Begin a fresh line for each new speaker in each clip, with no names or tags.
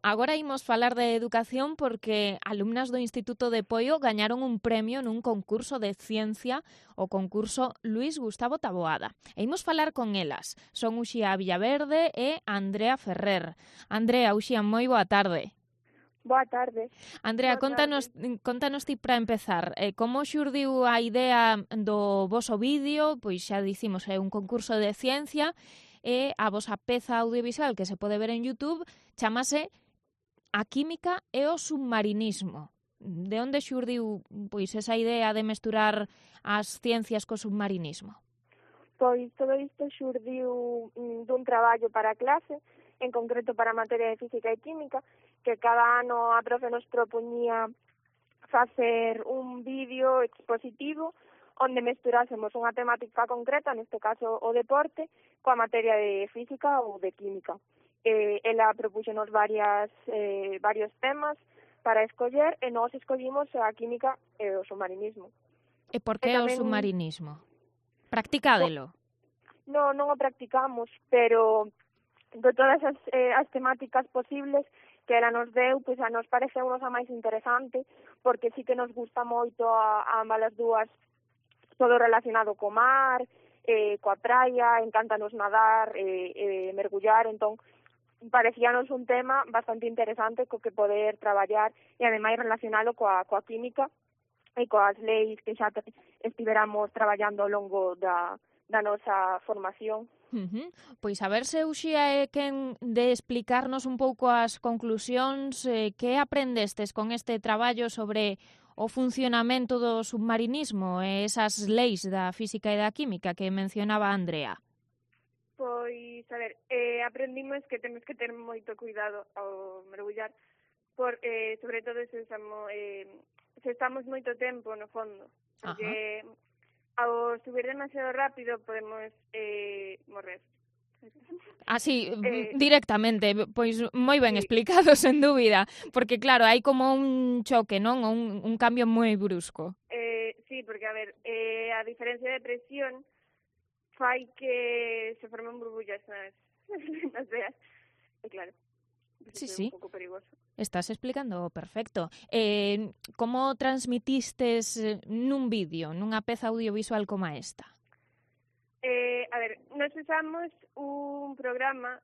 Agora imos falar de educación porque alumnas do Instituto de Poio gañaron un premio nun concurso de ciencia, o concurso Luís Gustavo Taboada. E imos falar con elas. Son Uxía Villaverde e Andrea Ferrer. Andrea, Uxía, moi boa tarde.
Boa tarde.
Andrea, contanos ti para empezar, como xurdiu a idea do voso vídeo? Pois xa dicimos, é un concurso de ciencia e a vosa peza audiovisual que se pode ver en YouTube chamase A química e o submarinismo. De onde xurdiu pois esa idea de mesturar as ciencias co submarinismo?
Pois todo isto xurdiu dun traballo para a clase, en concreto para a materia de física e química, que cada ano a profe nos propoñía facer un vídeo expositivo onde mesturásemos unha temática concreta, neste caso o deporte, coa materia de física ou de química. Ela propúxenos varios temas para escoller e nós escollimos a química e o submarinismo.
E por que o submarinismo? Practicádelo?
Non o practicamos, pero de todas as temáticas posibles que ela nos deu, pois a nos pareceu a máis interesante, porque sí que nos gusta moito a ambas as dúas todo relacionado co mar, coa praia, encántanos nadar, mergullar, entón parecíanos un tema bastante interesante co que poder traballar e ademais relacionalo coa química e coas leis que xa estiveramos traballando ao longo da nosa formación.
Pois a ver se Uxía é quen de explicarnos un pouco as conclusións, que aprendestes con este traballo sobre o funcionamento do submarinismo e esas leis da física e da química que mencionaba Andrea.
Pois, a ver, aprendimos que temos que ter moito cuidado ao mergullar, sobre todo se estamos moito tempo no fondo, porque ao subir demasiado rápido podemos morrer.
Así, directamente, pois moi ben explicado, sen dúbida, porque claro, hai como un choque, non? Un cambio moi brusco.
Sí, porque, a ver, a diferencia de presión fai que se formen burbullas nas veas. E claro,
Sí.
un pouco perigoso.
Estás explicando perfecto. Como transmitistes nun vídeo, nunha peza audiovisual como esta?
A ver, nos usamos un programa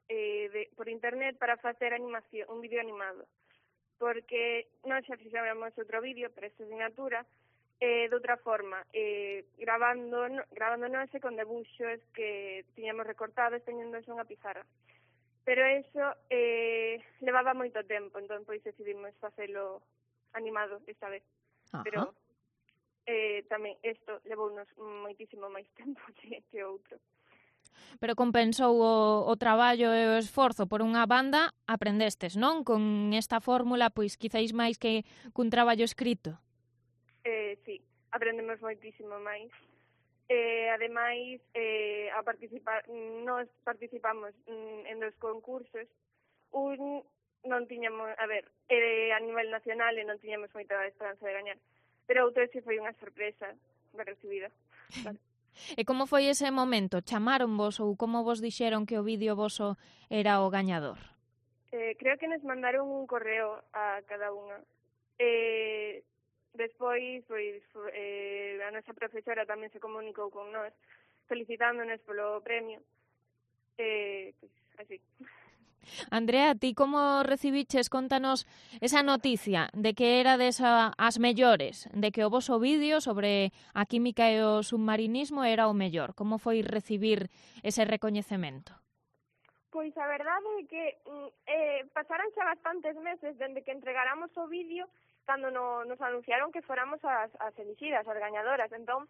por internet para facer animación, un vídeo animado, porque nós xa fixéramos outro vídeo para esta asignatura, de outra forma, grabándonos con debuxos que tiñamos recortados teñéndose unha pizarra. Pero eso levaba moito tempo, entón pois decidimos facelo animado esta vez. Pero tamén isto levounos moitísimo máis tempo que outro.
Pero compensou o traballo e o esforzo. Por unha banda, aprendestes, non? Con esta fórmula, pois quizáis máis que cun traballo escrito.
Sí, aprendemos moitísimo máis. Ademais, nós participamos en dos concursos. Un non tiñamos, a nivel nacional e non tiñamos moita esperanza de gañar. Pero outro sí foi unha sorpresa de recibida. Claro.
E como foi ese momento? Chamaronvos ou como vos dixeron que o vídeo voso era o gañador?
Creo que nos mandaron un correo a cada unha. Despois, pois, a nosa profesora tamén se comunicou con nós, felicitándonos polo premio. Pois, así.
Andrea, ti como recibiches, contanos esa noticia de que erades as mellores, de que o voso vídeo sobre a química e o submarinismo era o mellor. Como foi recibir ese recoñecemento?
Pois a verdade é que pasaron xa bastantes meses dende que entregáramos o vídeo cando nos anunciaron que fóramos as elixidas, as gañadoras. Entón,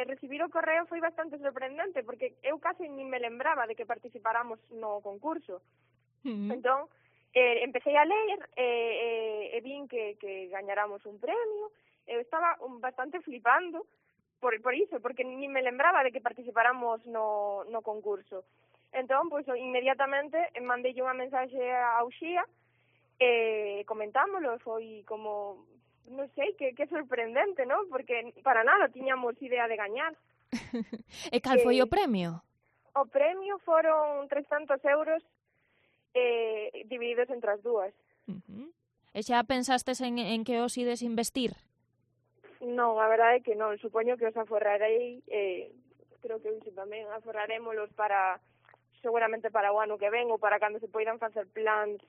recibir o correo foi bastante sorprendente, porque eu casi nin me lembraba de que participáramos no concurso. Entón, empecé a ler e vin que gañáramos un premio. Eu estaba bastante flipando por iso, porque nin me lembraba de que participáramos no concurso. Entón, pois, inmediatamente mandei unha mensaxe a Uxía e comentámoslo, foi como, non sei, que sorprendente, non? Porque para nada tiñamos idea de gañar.
E cal foi o premio?
O premio foron 300 euros divididos entre as dúas.
E xa pensastes en que os ides investir?
Non, a verdade é que non, supoño que os aforrarei, creo que tamén aforrarémolos para, seguramente para o ano que ven ou para cando se poidan facer plans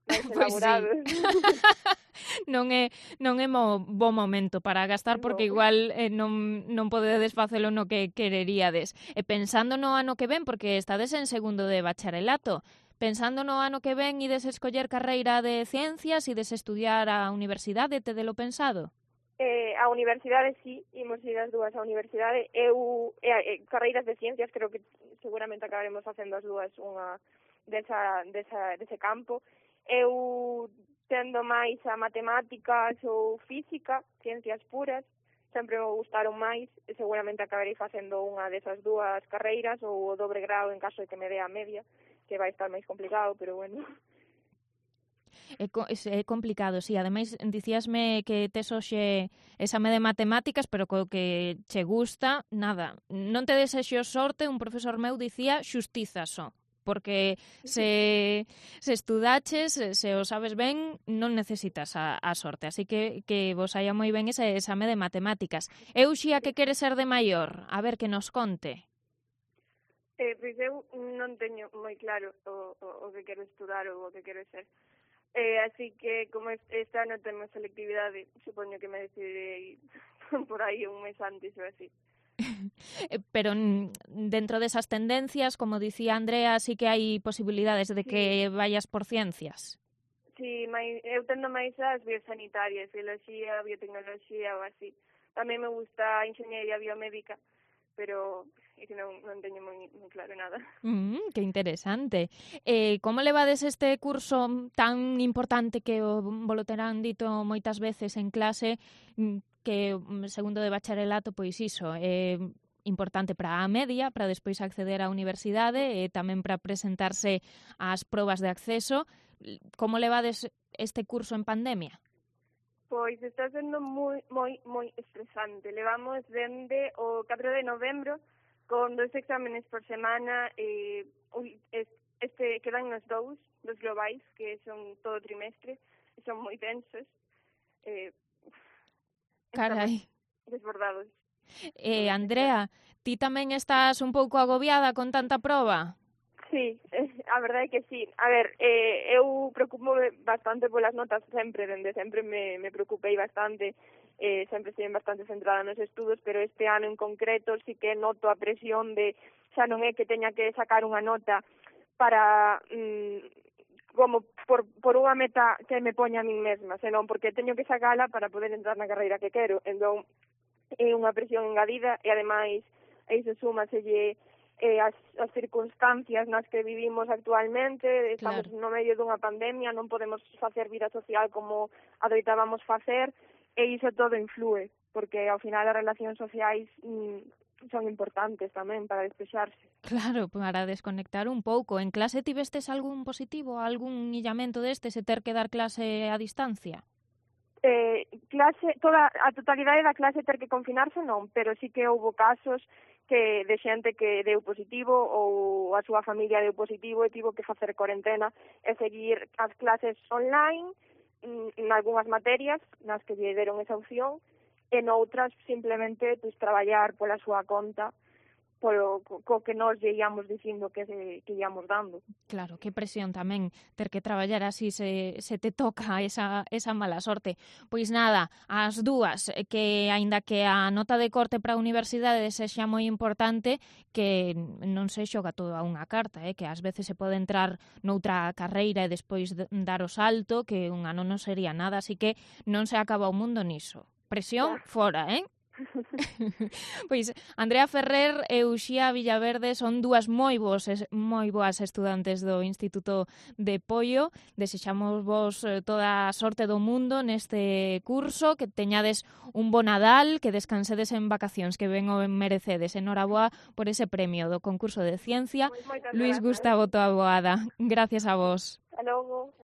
máis elaborados.
Non é bo momento para gastar porque igual non podedes facelo no que quereríades. E pensando no ano que ven, porque estades en segundo de bacharelato, pensando no ano que ven ides escoller carreira de ciencias, ides estudiar a universidade, tedelo pensado?
A universidade sí, imos ir as dúas á universidade. Carreiras de ciencias, creo que seguramente acabaremos facendo as dúas unha dese campo. Eu tendo máis a matemáticas ou física, ciencias puras, sempre me gustaron máis, e seguramente acabarei facendo unha desas dúas carreiras ou o dobre grau en caso de que me dé a media, que vai estar máis complicado, pero bueno.
É complicado, sí. Ademais, dicíasme que tes hoxe exame de matemáticas, pero co que che gusta, nada. Non te desexo sorte, un profesor meu dicía xustiza só. Porque se estudaches, se o sabes ben, non necesitas a sorte. Así que vos saia moi ben ese exame de matemáticas. Eu xía que quere ser de maior? A ver, que nos conte.
Pois eu non teño moi claro o que quero estudar ou o que quero ser. Así que, como este ano temos selectividade, supoño que me decidirei por aí un mes antes ou así.
Pero dentro desas tendencias, como dicía Andrea, sí que hai posibilidades de que vayas por ciencias.
Sí, eu tendo máis as biosanitarias, biología, biotecnoloxía ou así. Tamén me gusta a enxeñería biomédica, pero é que non teño moi claro nada.
Que interesante. Como levades este curso tan importante que volo terán dito moitas veces en clase, que segundo de bacharelato, pois iso, importante para a media, para despois acceder á universidade e tamén para presentarse ás probas de acceso. Como levades este curso en pandemia?
Pois está sendo moi estresante. Levamos dende o 4 de novembro con 2 exámenes por semana, quedan nos dous globais, que son todo trimestre, e son moi tensos.
Carai.
Desbordados.
Andrea, ti tamén estás un pouco agobiada con tanta proba?
Sí, a verdade é que sí. A ver, eu preocupo bastante polas notas sempre, dende sempre me preocupei bastante, sempre estive bastante centrada nos estudos, pero este ano en concreto sí que noto a presión de, xa non é que teña que sacar unha nota para como por unha meta que me poña a min mesma, senón porque teño que sacala para poder entrar na carreira que quero. Entón, é unha presión engadida e ademais a iso súmaselle as circunstancias nas que vivimos actualmente. Estamos no medio dunha pandemia, non podemos facer vida social como adoitábamos facer, e iso todo influe, porque ao final as relacións sociais son importantes tamén para despexarse.
Claro, para desconectar un pouco. En clase tivestes algún positivo, algún illamento destes e ter que dar clase a distancia?
A totalidade da clase ter que confinarse non, pero sí que houve casos de xente que deu positivo ou a súa familia deu positivo e tivo que facer cuarentena e seguir as clases online en algunhas materias nas que lle deron esa opción e noutras simplemente traballar pola súa conta co que nós lle íamos dicindo que íamos dando.
Claro, que presión tamén ter que traballar así se te toca esa mala sorte. Pois nada, as dúas, que aínda que a nota de corte para a universidade sexa moi importante, que non se xoga todo a unha carta, que ás veces se pode entrar noutra carreira e despois dar o salto, que un ano non sería nada, así que non se acaba o mundo niso. Presión fora, Pois Andrea Ferrer e Uxía Villaverde son dúas moi boas estudantes do Instituto de Poio. Desexamos vos toda a sorte do mundo neste curso, que teñades un bo Nadal, que descansedes en vacacións, que ben o merecedes. Enhoraboa por ese premio do concurso de ciencia. Luis Gustavo Taboada. Gracias a vos.
Hasta logo.